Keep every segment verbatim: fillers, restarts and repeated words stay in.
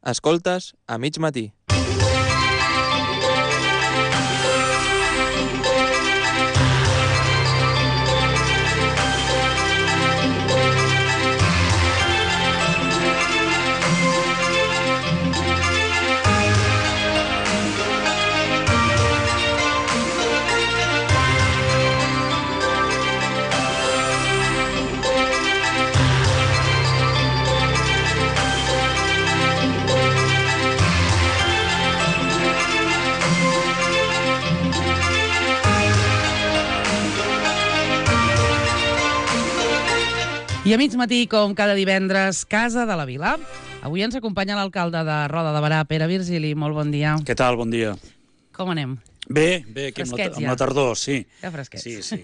Escoltes a mig matí. I a mig matí, com cada divendres, Casa de la Vila. Avui ens acompanya l'alcalde de Roda de Berà, Pere Virgili. Molt bon dia. Què tal? Bon dia. Com anem? Bé, bé, aquí amb la, amb la tardor, sí. Ja fresquets. Sí, sí.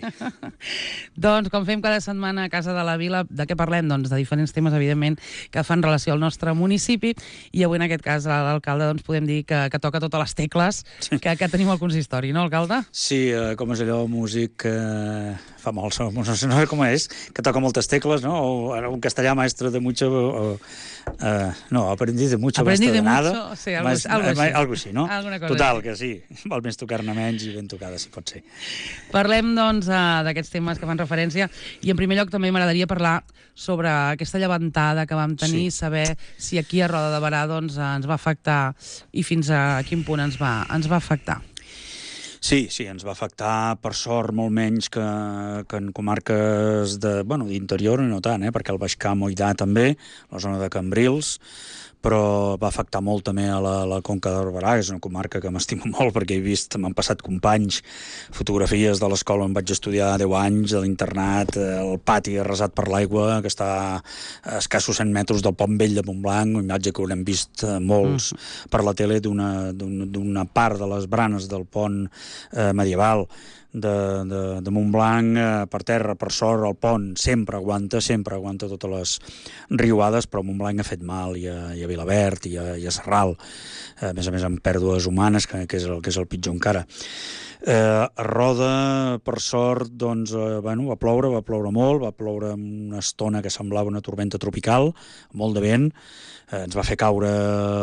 Doncs, com fem cada setmana a Casa de la Vila, de què parlem? Doncs de diferents temes, evidentment, que fan relació al nostre municipi, i avui, en aquest cas, l'alcalde, doncs, podem dir que, que toca totes les tecles que, que tenim al consistori, no, alcalde? Sí, eh, com és allò, músic... Eh, fa molt, no sé, no sé com és, que toca moltes tecles, no? O un castellà maestro de mucho... O, eh, no, aprendiz de mucho, aprendiz de de nada. Mucho, sí, algo, Mas, algo així. Algo així, no? Cosa Total, així. que sí. Val més tocar-ne menys i ben tocada, si pot ser. Parlem, doncs, d'aquests temes que fan referència, i en primer lloc també m'agradaria parlar sobre aquesta llevantada que vam tenir, sí. Saber si aquí a Roda de Berà doncs, ens va afectar i fins a quin punt ens va, ens va afectar. Sí, sí, ens va afectar, per sort, molt menys que, que en comarques de, bueno, d'interior, no tant, eh, perquè el Baix Camp Oïdà també, la zona de Cambrils, però va afectar molt també a la, la Conca de Barberà, és una comarca que m'estimo molt perquè he vist, m'han passat companys fotografies de l'escola on vaig estudiar deu anys, de l'internat, el pati arrasat per l'aigua, que està a escassos cent metres del Pont Vell de Montblanc, una imatge que haurem vist molts mm. per la tele d'una, d'una part de les branes del pont eh, medieval de, de, de Montblanc, eh, per terra, per sort, el pont sempre aguanta, sempre aguanta totes les riuades, però Montblanc ha fet mal, i a, i a Vilaverd, i a, i a Sarral, eh, a més a més amb pèrdues humanes, que, que, és, el, que és el pitjor encara. Eh, a Roda, per sort, doncs, eh, bueno, va ploure, va ploure molt, va ploure una estona que semblava una tormenta tropical, molt de vent, eh, ens va fer caure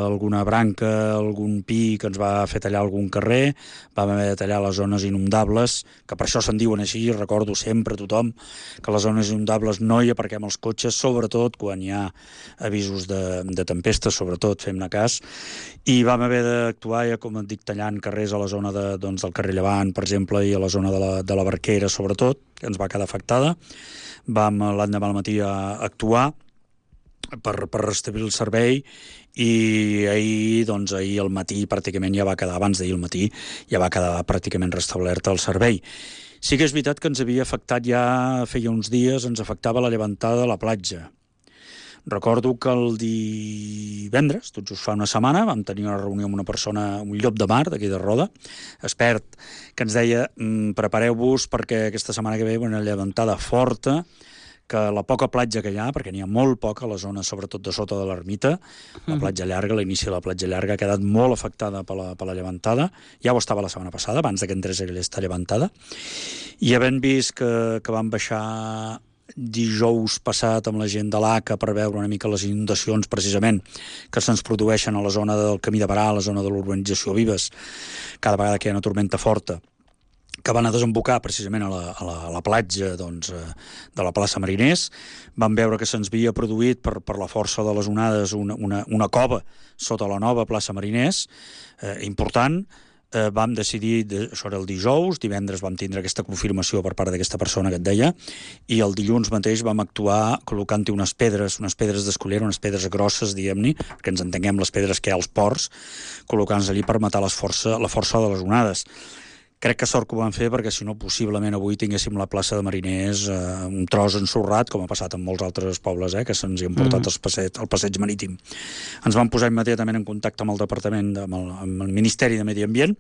alguna branca, algun pi que ens va fer tallar algun carrer, vam haver de tallar les zones inundables, que per això se'n diuen així, recordo sempre a tothom que les zones inundables no hi aparquem els cotxes, sobretot quan hi ha avisos de, de tempesta, sobretot, fem-ne cas, i vam haver d'actuar, ja com et dic, tallant carrers a la zona de, doncs, del carrer Llevant, per exemple, i a la zona de la, de la Barquera, sobretot, que ens va quedar afectada. Vam l'endemà al matí a actuar per, per restablir el servei, i ahir, doncs, ahir al matí pràcticament ja va quedar, abans d'ahir al matí, ja va quedar pràcticament restablert el servei. Sí que és veritat que ens havia afectat ja, feia uns dies, ens afectava la llevantada de la platja. Recordo que el divendres, tot just fa una setmana, vam tenir una reunió amb una persona, un llop de mar d'aquí de Roda, expert, que ens deia mm, prepareu-vos perquè aquesta setmana que ve una llevantada forta, que la poca platja que hi ha, perquè n'hi ha molt poca a la zona, sobretot de sota de l'ermita, la platja llarga, l'inici de la platja llarga, ha quedat molt afectada per la, per la llevantada. Ja ho estava la setmana passada, abans que entrés aquesta llevantada. I havent vist que, que van baixar dijous passat amb la gent de l'A C A per veure una mica les inundacions precisament que se'ns produeixen a la zona del Camí de Berà, a la zona de l'urbanització Vives, cada vegada que hi ha una tormenta forta, que van a desembocar precisament a la, a la, a la platja, doncs, de la plaça Mariners. Vam veure que se'ns havia produït per, per la força de les onades una, una, una cova sota la nova plaça Mariners, eh, important. Eh, vam decidir, de, això era el dijous, divendres vam tindre aquesta confirmació per part d'aquesta persona que et deia, i el dilluns mateix vam actuar col·locant-hi unes pedres, unes pedres d'escullera, unes pedres grosses, diguem-ne, que ens entenguem les pedres que hi ha als ports, col·locant-les allí per matar les força, la força de les onades. Crec que sort que ho van fer, perquè si no, possiblement avui tinguéssim la plaça de Mariners eh, un tros ensorrat, com ha passat en molts altres pobles, eh, que se'ns hi han portat mm. el, passeig, el passeig marítim. Ens vam posar immediatament en contacte amb el departament, amb el, amb el Ministeri de Medi Ambient,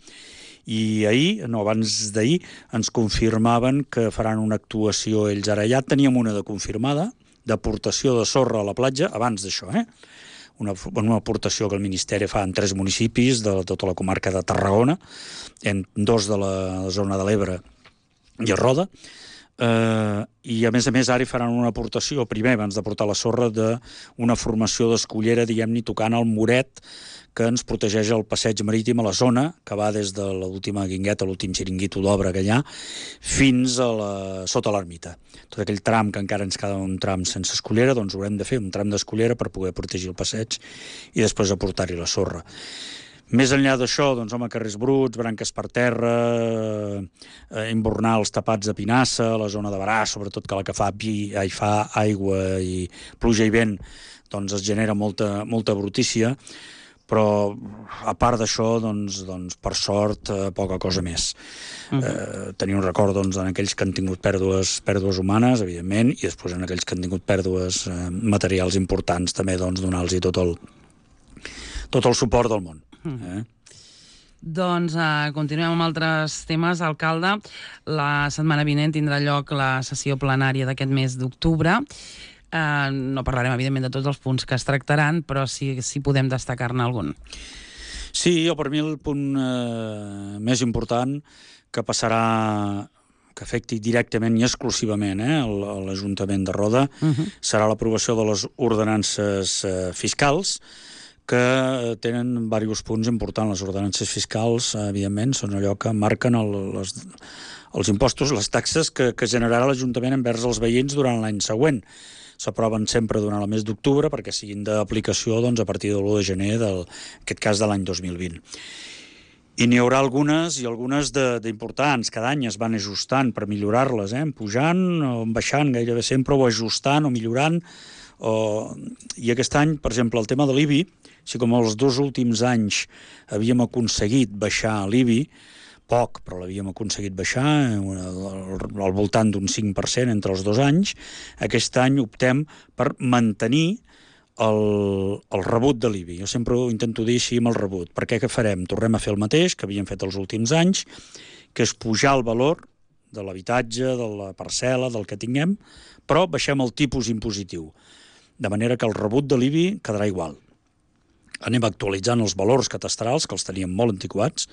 i ahir, no, abans d'ahir, ens confirmaven que faran una actuació ells ara. Ja teníem una de confirmada, d'aportació de sorra a la platja, abans d'això, eh? Una, una aportació que el Ministeri fa en tres municipis de tota la comarca de Tarragona, en dos de la zona de l'Ebre i a Roda, Uh, i a més a més ara hi faran una aportació, primer abans de portar la sorra, d'una formació d'escullera, diguem-ne, tocant el muret que ens protegeix el passeig marítim a la zona, que va des de l'última guingueta, l'últim xiringuito d'obra que hi ha, fins a la, sota l'ermita. Tot aquell tram que encara ens queda un tram sense escullera, doncs haurem de fer un tram d'escullera per poder protegir el passeig i després aportar-hi la sorra. Més enllà d'això, doncs, home, carrers bruts, branques per terra, eh, imbornals tapats de pinassa, la zona de Barà, sobretot que la que fa, vi, hi fa aigua i pluja i vent, doncs es genera molta, molta brutícia, però a part d'això, doncs, doncs, per sort, eh, poca cosa més. Uh-huh. Eh, tenir un record doncs, en aquells que han tingut pèrdues, pèrdues humanes, evidentment, i després en aquells que han tingut pèrdues eh, materials importants, també doncs, donar-los tot el, tot el suport del món. Eh? Doncs uh, continuem amb altres temes. Alcalde, la setmana vinent tindrà lloc la sessió plenària d'aquest mes d'octubre. Uh, no parlarem, evidentment, de tots els punts que es tractaran, però sí, sí podem destacar-ne algun. Sí, jo per mi el punt eh, més important que passarà, que afecti directament i exclusivament eh, l'Ajuntament de Roda, uh-huh. serà l'aprovació de les ordenances eh, fiscals, que tenen diversos punts importants. Les ordenances fiscals, evidentment, són allò que marquen el, les, els impostos, les taxes que, que generarà l'Ajuntament envers els veïns durant l'any següent. S'aproven sempre durant el mes d'octubre perquè siguin d'aplicació doncs, a partir de l'u de gener, del, en aquest cas de l'any dos mil vint. I n'hi haurà algunes i algunes d'importants. Cada any es van ajustant per millorar-les, eh? pujant o baixant gairebé sempre, o ajustant o millorant. O... I aquest any, per exemple, el tema de l'I B I, si com els dos últims anys havíem aconseguit baixar l'I B I, poc, però l'havíem aconseguit baixar al voltant d'un cinc per cent entre els dos anys, aquest any optem per mantenir el, el rebut de l'I B I. Jo sempre ho intento dir així amb el rebut. Per què què farem? Tornem a fer el mateix que havíem fet els últims anys, que és pujar el valor de l'habitatge, de la parcel·la, del que tinguem, però baixem el tipus impositiu, de manera que el rebut de l'I B I quedarà igual. Anem actualitzant els valors catastrals, que els teníem molt antiquats,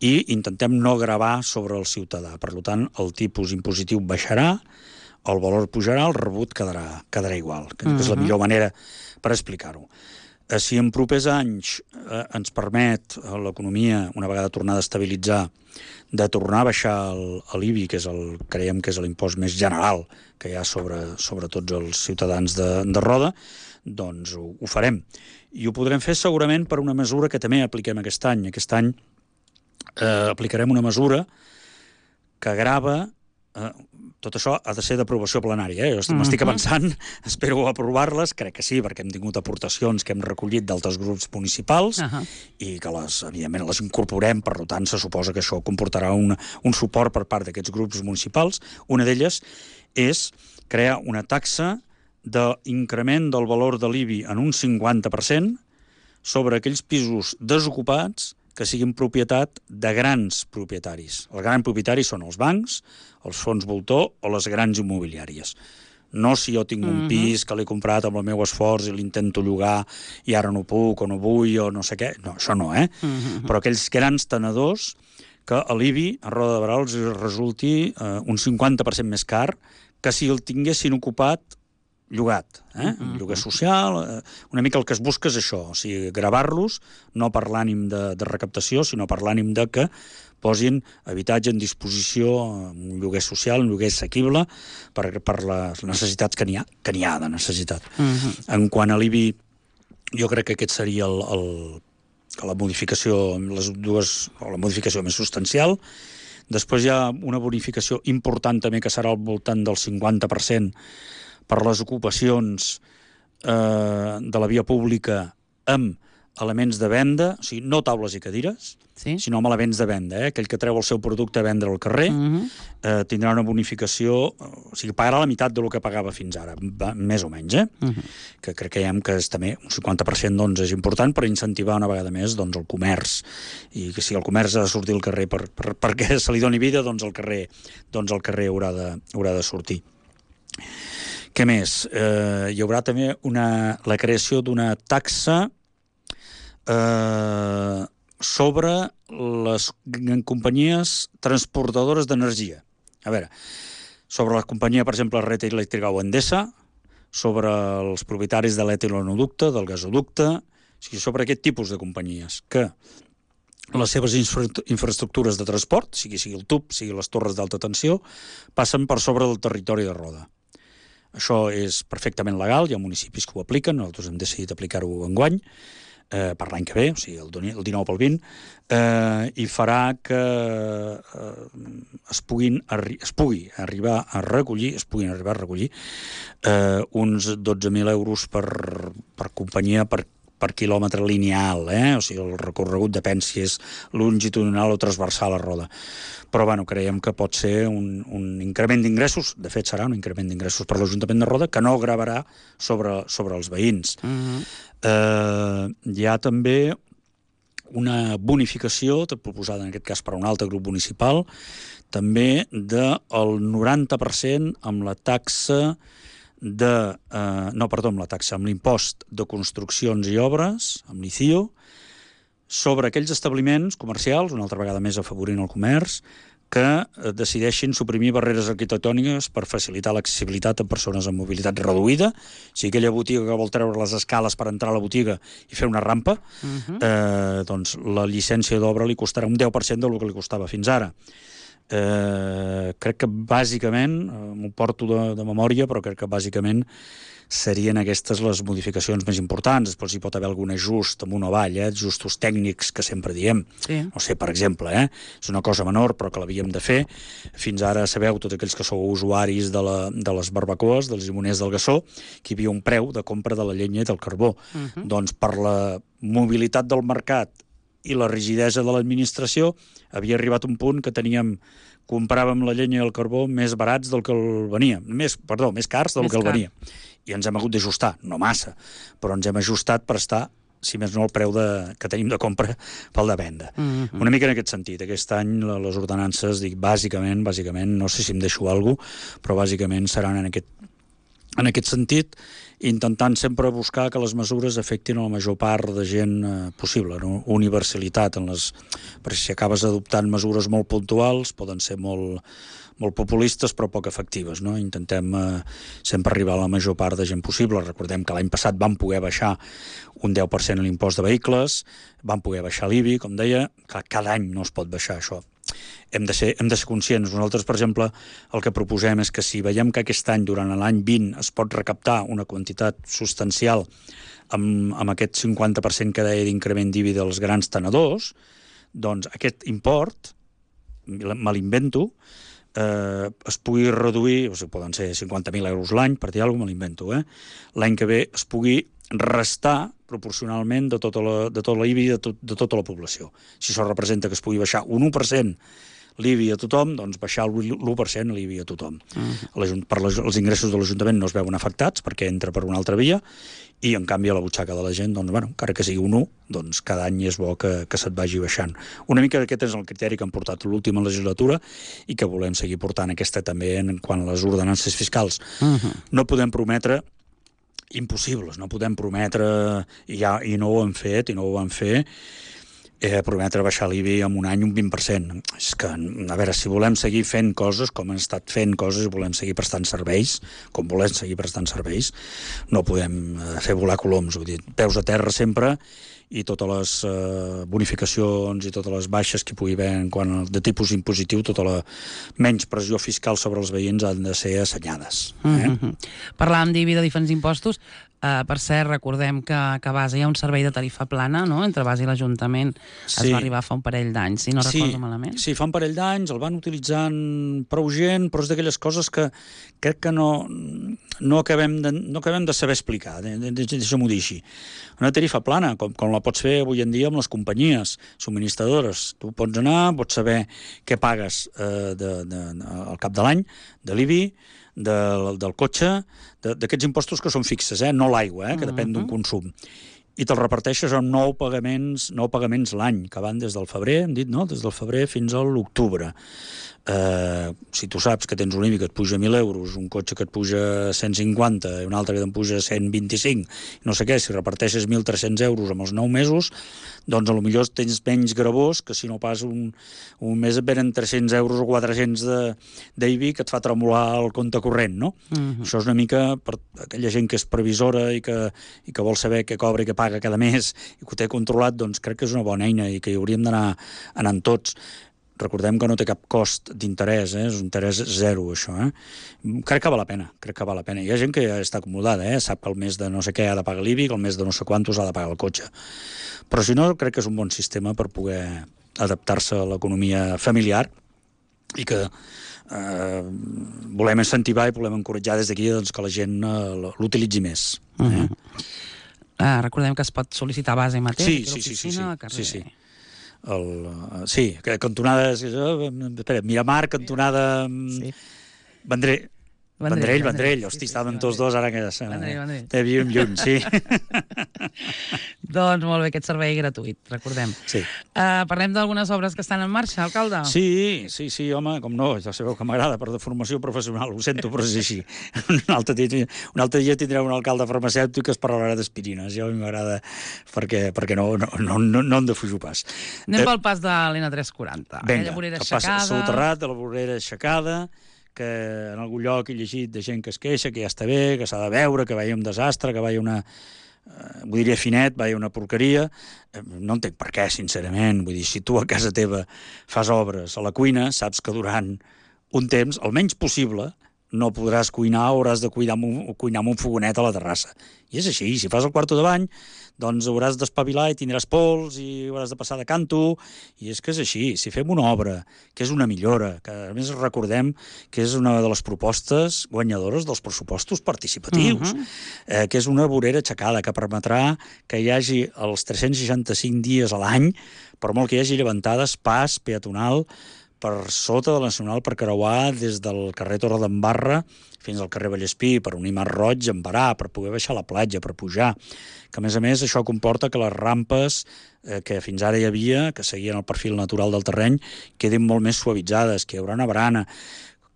i intentem no gravar sobre el ciutadà. Per tant, el tipus impositiu baixarà, el valor pujarà, el rebut quedarà, quedarà igual, que uh-huh. és la millor manera per explicar-ho. Eh, si en propers anys eh, ens permet eh, l'economia, una vegada tornada a estabilitzar, de tornar a baixar l'I B I, que és el, creiem que és l'impost més general que hi ha sobre, sobre tots els ciutadans de, de Roda, doncs ho, ho farem. I ho podrem fer segurament per una mesura que també apliquem aquest any. Aquest any eh, aplicarem una mesura que grava... Eh, tot això ha de ser d'aprovació plenària. Eh? Jo m'estic uh-huh. avançant, espero aprovar-les, crec que sí, perquè hem tingut aportacions que hem recollit d'altres grups municipals uh-huh. i que, les, evidentment, les incorporem, per tant, se suposa que això comportarà una, un suport per part d'aquests grups municipals. Una d'elles és crear una taxa d'increment del valor de l'I B I en un cinquanta per cent sobre aquells pisos desocupats que siguin propietat de grans propietaris. Els grans propietaris són els bancs, els fons voltor o les grans immobiliàries. No si jo tinc un pis que l'he comprat amb el meu esforç i l'intento llogar i ara no puc o no vull o no sé què. No, això no, eh? Uh-huh. Però aquells grans tenedors que a l'I B I, a Roda de Barà, els resulti eh, un cinquanta per cent més car que si el tinguessin ocupat llogat, eh? Uh-huh. Lloguer social, eh? Una mica el que es busca és això, o sigui, gravar-los, no per l'ànim de, de recaptació, sinó per l'ànim de que posin habitatge en disposició, un lloguer social, un lloguer assequible, per, per les necessitats que n'hi ha, que n'hi ha de necessitat. Uh-huh. En quant a l'I B I, jo crec que aquest seria el, el, la modificació, les dues, o la modificació més substancial. Després hi ha una bonificació important també que serà al voltant del cinquanta per cent per les ocupacions eh, de la via pública amb elements de venda, o sigui, no taules i cadires, sí? sinó amb elements de venda. Eh? Aquell que treu el seu producte a vendre al carrer uh-huh. eh, tindrà una bonificació, o sigui, pagarà la meitat del que pagava fins ara, va, més o menys, eh? uh-huh. que crec que, que és també un cinquanta per cent doncs, és important per incentivar una vegada més doncs, el comerç, i que si el comerç ha de sortir al carrer per, per, perquè se li doni vida, doncs el carrer, doncs el carrer haurà, de, haurà de sortir. Què més? Eh, hi haurà també una, la creació d'una taxa eh, sobre les companyies transportadores d'energia. A veure, sobre la companyia, per exemple, Red Eléctrica o Endesa, sobre els propietaris de l'etilonoducte, del gasoducte, o sigui, sobre aquest tipus de companyies que les seves infra infraestructures de transport, sigui, sigui el tub, sigui les torres d'alta tensió, passen per sobre del territori de Roda. Això és perfectament legal, hi ha municipis que ho apliquen, nosaltres hem decidit aplicar-ho enguany, eh, per l'any que ve, o sigui, el dinou pel vint, eh, i farà que eh, es, puguin es pugui arribar a recollir, es puguin arribar a recollir eh, uns dotze mil euros per, per companyia, per per quilòmetre lineal, eh? O sigui, el recorregut depèn si és longitudinal o transversal a Roda. Però, bueno, creiem que pot ser un, un increment d'ingressos, de fet serà un increment d'ingressos per l'Ajuntament de Roda, que no gravarà sobre, sobre els veïns. Uh-huh. eh, hi ha també una bonificació, proposada en aquest cas per un altre grup municipal, també del noranta per cent amb la taxa de, eh, no, perdó, amb la taxa, amb l'impost de construccions i obres, amb l'I C I O, sobre aquells establiments comercials, una altra vegada més afavorint el comerç, que eh, decideixin suprimir barreres arquitectòniques per facilitar l'accessibilitat a persones amb mobilitat reduïda. O sigui, aquella botiga que vol treure les escales per entrar a la botiga i fer una rampa, uh-huh. eh, doncs la llicència d'obra li costarà un deu per cent del que li costava fins ara. Eh, crec que bàsicament, eh, m'ho porto de, de memòria, però crec que bàsicament serien aquestes les modificacions més importants. Després hi pot haver algun ajust amunt o avall, eh, ajustos tècnics que sempre diem. Sí. No sé, per exemple, eh, és una cosa menor però que l'havíem de fer. Fins ara sabeu, tots aquells que sou usuaris de, la, de les barbacoes, dels llimoners del Gassó, que hi havia un preu de compra de la llenya i del carbó. Uh-huh. Doncs per la mobilitat del mercat i la rigidesa de l'administració havia arribat un punt que teníem compràvem la llenya i el carbó més barats del que el venia, més, perdó, més cars del més que el car. venia. I ens hem hagut d'ajustar, no massa, però ens hem ajustat per estar, si més no, el preu de, que tenim de compra pel de venda. Mm-hmm. Una mica en aquest sentit. Aquest any les ordenances, dic, bàsicament, bàsicament, no sé si em deixo alguna cosa, però bàsicament seran en aquest en aquest sentit, intentant sempre buscar que les mesures afectin a la major part de gent eh, possible, no? Universalitat en les... perquè si acabes adoptant mesures molt puntuals poden ser molt, molt populistes però poc efectives, no? Intentem eh, sempre arribar a la major part de gent possible. Recordem que l'any passat vam poder baixar un deu per cent l'impost de vehicles, vam poder baixar l'I B I, com deia, que cada any no es pot baixar això. Hem de, ser, hem de ser conscients. Nosaltres, per exemple, el que proposem és que si veiem que aquest any, durant l'any vint, es pot recaptar una quantitat substancial amb, amb aquest cinquanta per cent que deia d'increment d'I B I dels grans tenedors, doncs aquest import, me l'invento, eh, es pugui reduir, o sigui, poden ser cinquanta mil euros l'any, per dir alguna cosa, me l'invento, eh? L'any que ve es pugui restar proporcionalment de tota la, de tot l'I B I de, tot, de tota la població. Si això representa que es pugui baixar un u per cent l'I B I a tothom, doncs baixar l'u per cent l'I B I a tothom. Uh-huh. Per les, els ingressos de l'Ajuntament no es veuen afectats perquè entra per una altra via i, en canvi, a la butxaca de la gent, doncs, bueno, encara que sigui un u, doncs cada any és bo que, que se't vagi baixant. Una mica aquest és el criteri que han portat l'última legislatura i que volem seguir portant aquesta també en quant a les ordenances fiscals. Uh-huh. No podem prometre impossibles, no podem prometre, i, ja, i no ho hem fet, i no ho vam fer, eh, prometre baixar l'I B I en un any un vint per cent. És que, a veure, si volem seguir fent coses, com hem estat fent coses, i volem seguir prestant serveis, com volem seguir prestant serveis, no podem fer volar coloms, vull dir, peus a terra sempre, i totes les eh, bonificacions i totes les baixes que hi pugui haver en quant a, de tipus impositiu, tota la menys pressió fiscal sobre els veïns han de ser assenyades. Eh? Mm-hmm. Parlàvem d'I B I, de diferents impostos. Uh, per cert, recordem que, que a base hi ha un servei de tarifa plana, no?, entre base i l'Ajuntament. Sí. Es va arribar fa un parell d'anys, si no sí, recordo malament. Sí, fa un parell d'anys, el van utilitzant prou gent, però és d'aquelles coses que crec que no, no, acabem, de, no acabem de saber explicar, deixa'm-ho dir així. Una tarifa plana, com, com la pots fer avui en dia amb les companyies subministradores. Tu pots anar, pots saber què pagues eh, de, de, de, al cap de l'any, de l'I B I, del, del cotxe, d'aquests impostos que són fixes, eh? No l'aigua, eh? Que depèn d'un consum. i te'l reparteixes amb nou pagaments, nou pagaments l'any, que van des del febrer, hem dit, no? Des del febrer fins a l'octubre. Eh, si tu saps que tens un I B I que et puja mil euros, un cotxe que et puja cent cinquanta i un altre que te'n puja cent vint-i-cinc, no sé què, si reparteixes mil tres-cents euros amb els nou mesos, doncs potser tens menys gravós que si no pas un, un mes et venen tres-cents euros o quatre-cents d'I B I que et fa tremolar el compte corrent, no? Uh-huh. Això és una mica per aquella gent que és previsora i que, i que vol saber què cobra i què paga cada mes i que ho té controlat, doncs crec que és una bona eina i que hi hauríem d'anar anant tots. Recordem que no té cap cost d'interès, eh? És un interès zero, això. Eh? Crec que val la pena, crec que val la pena. Hi ha gent que ja està acomodada, eh? Sap que el mes de no sé què ha de pagar l'I B I, que el mes de no sé quantos ha de pagar el cotxe. Però si no, crec que és un bon sistema per poder adaptar-se a l'economia familiar i que eh, volem incentivar i volem encoratjar des d'aquí doncs, que la gent eh, l'utilitzi més. Eh? Uh-huh. uh, recordem que es pot sol·licitar a base mateix. Sí, sí, sí, sí, sí, sí, sí. El, uh, sí, que cantonada... Espera, Miramar, cantonada... Sí. Vendrell. Vendrell, Vendrell. Hosti, sí, sí, estaven sí, tots dos ara que... Vendrell, Vendrell. Te viuen lluny, sí. Doncs molt bé, aquest servei gratuït, recordem. Sí. Uh, parlem d'algunes obres que estan en marxa, alcalde? Sí, sí, sí, home, com no, ja sabeu que m'agrada per de formació professional, ho sento, però és així. Un altre dia, un altre dia tindrem un alcalde farmacèutic que es parlarà d'aspirines, ja a mi m'agrada perquè, perquè no, no, no, no, no en defujo pas. Anem eh, pel pas de l'N tres quaranta. Vinga, el pas soterrat de la vorera aixecada, que en algun lloc he llegit de gent que es queixa, que ja està bé, que s'ha de veure, que veia un desastre, que veia una... Eh, vull dir, finet, veia una porqueria. Eh, no entenc per què, sincerament. Vull dir, si tu a casa teva fas obres a la cuina, saps que durant un temps, el menys possible, no podràs cuinar o hauràs de cuinar amb un, cuinar amb un fogonet a la terrassa. I és així. Si fas el quarto de bany, doncs hauràs d'espavilar i tindràs pols i hauràs de passar de canto. I és que és així. Si fem una obra que és una millora, que a més recordem que és una de les propostes guanyadores dels pressupostos participatius, uh-huh. eh, que és una vorera aixecada que permetrà que hi hagi els tres-cents seixanta-cinc dies a l'any, per molt que hi hagi llevantades, pas peatonal per sota de la Nacional per creuar des del carrer Torredembarra fins al carrer Vallespí, per unir Mar Roig amb Barà, per poder baixar a la platja, per pujar. Que, a més a més, això comporta que les rampes eh, que fins ara hi havia, que seguien el perfil natural del terreny, quedin molt més suavitzades, que hi haurà una barana.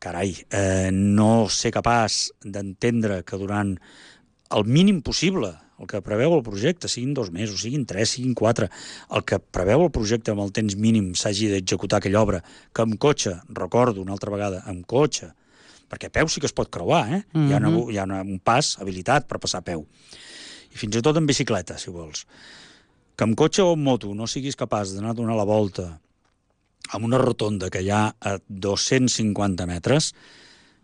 Carai, eh, no sé capaç d'entendre que durant el mínim possible, el que preveu el projecte, siguin dos mesos, siguin tres, siguin quatre, el que preveu el projecte amb el temps mínim s'hagi d'executar aquella obra, que amb cotxe, recordo una altra vegada, amb cotxe, perquè a peu sí que es pot creuar, eh? Mm-hmm. Hi ha, una, hi ha una, un pas habilitat per passar a peu. I fins i tot en bicicleta, si vols. Que amb cotxe o amb moto no siguis capaç d'anar a donar la volta amb una rotonda que hi ha a dos-cents cinquanta metres,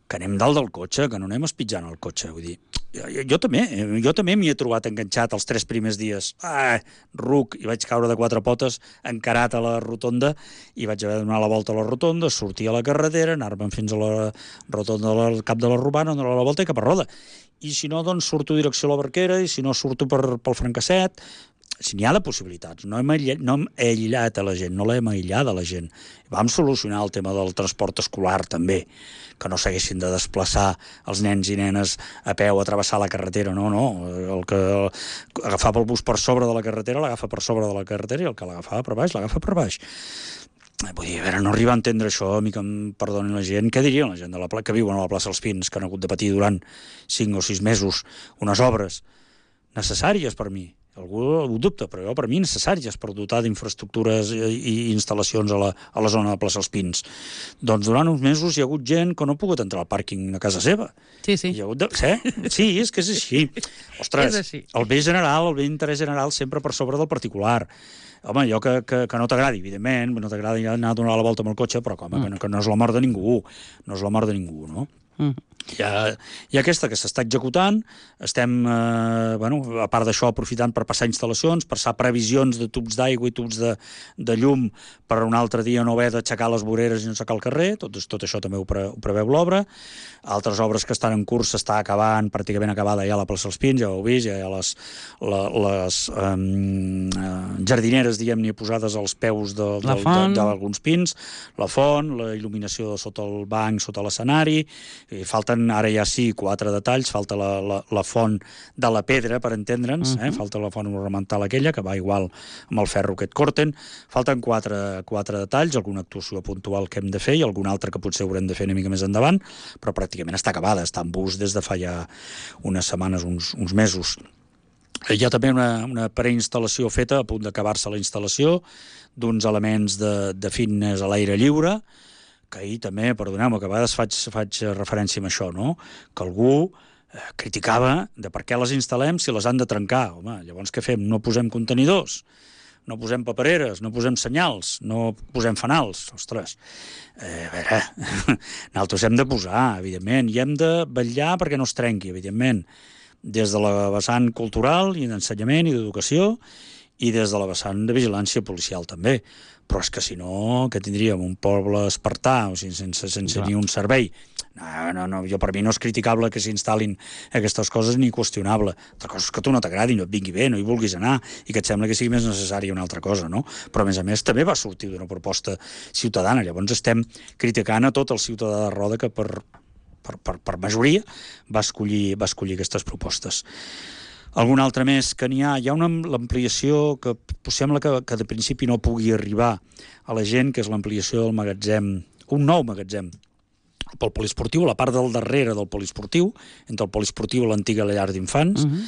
que anem dalt del cotxe, que no anem espitjant el cotxe. Vull dir, jo, jo, jo també, jo també m'hi he trobat enganxat els tres primers dies. Ah, ruc, i vaig caure de quatre potes encarat a la rotonda i vaig haver de donar la volta a la rotonda, sortir a la carretera, anar-me'n fins a la rotonda del cap de la Robana, donar la volta i cap a Roda. I si no, doncs surto direcció a la Barquera, i si no surto per, pel Francasset. Si n'hi ha de possibilitats, no hem, aïllat, no hem aïllat a la gent, no l'hem aïllat a la gent. Vam solucionar el tema del transport escolar, també, que no s'haguessin de desplaçar els nens i nenes a peu a travessar la carretera, no, no. El que agafava el bus per sobre de la carretera, l'agafa per sobre de la carretera, i el que l'agafava per baix, l'agafa per baix. Vull dir, a veure, no arriba a entendre això, a mi que em perdonin la gent. Què dirien la gent de la pla... que viuen a la plaça dels Pins, que han hagut de patir durant cinc o sis mesos unes obres necessàries per mi? Algú ho dubta, però jo, per mi, necessàries per dotar d'infraestructures i, i instal·lacions a la, a la zona de plaça dels Pins. Doncs durant uns mesos hi ha hagut gent que no ha pogut entrar al pàrquing a casa seva. Sí, sí. Hi ha hagut de... sí? Sí, és que és així. Ostres, és així. El bé general, el bé d'interès general, sempre per sobre del particular. Home, allò que, que, que no t'agradi, evidentment, no t'agradi anar a donar la volta amb el cotxe, però home, mm. que, que no és la mort de ningú, no és la mort de ningú, no? Mm. Hi ha, hi ha aquesta que s'està executant, estem, eh, bueno, a part d'això, aprofitant per passar instal·lacions, passar previsions de tubs d'aigua i tubs de, de llum per un altre dia no haver d'aixecar les voreres i no aixecar el carrer, tot, tot això també ho, pre, ho preveu l'obra. Altres obres que estan en curs s'està acabant, pràcticament acabada ja la plaça dels Pins, ja ho heu vist, ja hi ha les, la, les um, jardineres, diguem-ne, posades als peus de- La del- font. de- d'alguns pins, la font, la il·luminació sota el banc, sota l'escenari, i falten ara ja sí quatre detalls, falta la, la, la font de la pedra, per entendre'ns, eh? Mhm. Falta la font ornamental aquella, que va igual amb el ferro que et corten, falten quatre, quatre detalls, alguna actuació puntual que hem de fer i algun altre que potser haurem de fer una mica més endavant, però pràcticament està acabada, està en bus des de fa ja unes setmanes, uns, uns mesos. Hi ha també una, una preinstal·lació feta, a punt d'acabar-se la instal·lació, d'uns elements de, de fitness a l'aire lliure, que ahir també, perdoneu-me, que a vegades faig, faig referència a això, no? Que algú eh, criticava de per què les instal·lem si les han de trencar. Home, llavors què fem? No posem contenidors, no posem papereres, no posem senyals, no posem fanals. Ostres, eh, a veure, nosaltres hem de posar, evidentment, i hem de vetllar perquè no es trenqui, evidentment, des de la vessant cultural i d'ensenyament i d'educació i des de la vessant de vigilància policial també. Però és que si no, que tindríem un poble espartà, o sigui, sense, sense ni un servei. No, no, no, jo per mi no és criticable que s'instal·lin aquestes coses ni qüestionable. Altra cosa és que tu no t'agradi, no et vingui bé, no hi vulguis anar i que et sembla que sigui més necessària una altra cosa, no? Però, a més a més, també va sortir d'una proposta ciutadana. Llavors estem criticant a tot el ciutadà de Roda que per, per, per, per majoria va escollir, va escollir aquestes propostes. Algun altre més que n'hi ha? Hi ha una l'ampliació que sembla que, que de principi no pugui arribar a la gent, que és l'ampliació del magatzem, un nou magatzem pel poliesportiu, a la part del darrere del poliesportiu, entre el poliesportiu i l'antiga llar d'infants, uh-huh.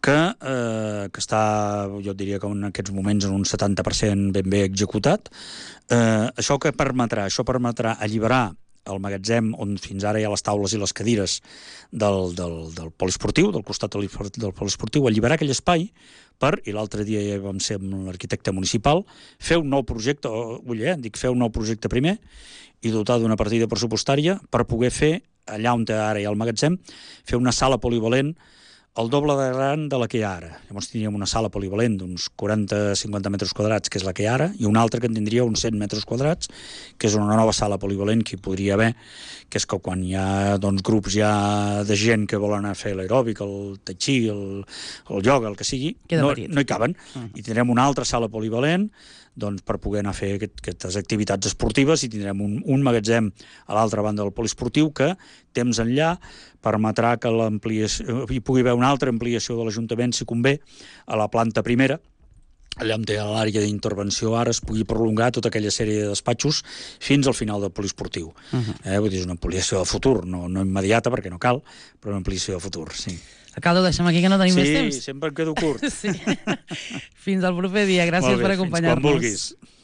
que, eh, que està, jo diria que en aquests moments en un setanta per cent ben bé executat. Eh, això que permetrà? Això permetrà alliberar el magatzem on fins ara hi ha les taules i les cadires del, del, del poliesportiu, del costat del, del poliesportiu, alliberar aquell espai per, i l'altre dia ja vam ser amb l'arquitecte municipal, fer un nou projecte, ull, eh, dic fer un nou projecte primer, i dotar d'una partida pressupostària per poder fer, allà on ara hi ha el magatzem, fer una sala polivalent el doble de gran de la que hi ha ara. Llavors tindríem una sala polivalent d'uns quaranta a cinquanta metres quadrats, que és la que hi ha ara, i una altra que en tindria uns cent metres quadrats, que és una nova sala polivalent que hi podria haver, que és que quan hi ha doncs, grups ja de gent que volen anar a fer l'aeròbic, el tai chi, el, el ioga, el que sigui, no, no hi caben. Uh-huh. I tindrem una altra sala polivalent doncs, per poder anar a fer aquest, aquestes activitats esportives, i tindrem un, un magatzem a l'altra banda del poliesportiu que, temps enllà, permetrà que l'ampliació, hi pugui haver una altra ampliació de l'Ajuntament, si convé, a la planta primera, allà on té l'àrea d'intervenció ara es pugui prolongar tota aquella sèrie de despatxos fins al final del poliesportiu. Uh-huh. eh, vull dir, és una ampliació de futur, no, no immediata perquè no cal, però una ampliació de futur, sí. Alcalde, ho deixem aquí que no tenim sí, més temps. Sí, sempre em quedo curt. Sí. Fins al proper dia. Gràcies bé, per acompanyar-nos. Fins quan vulguis.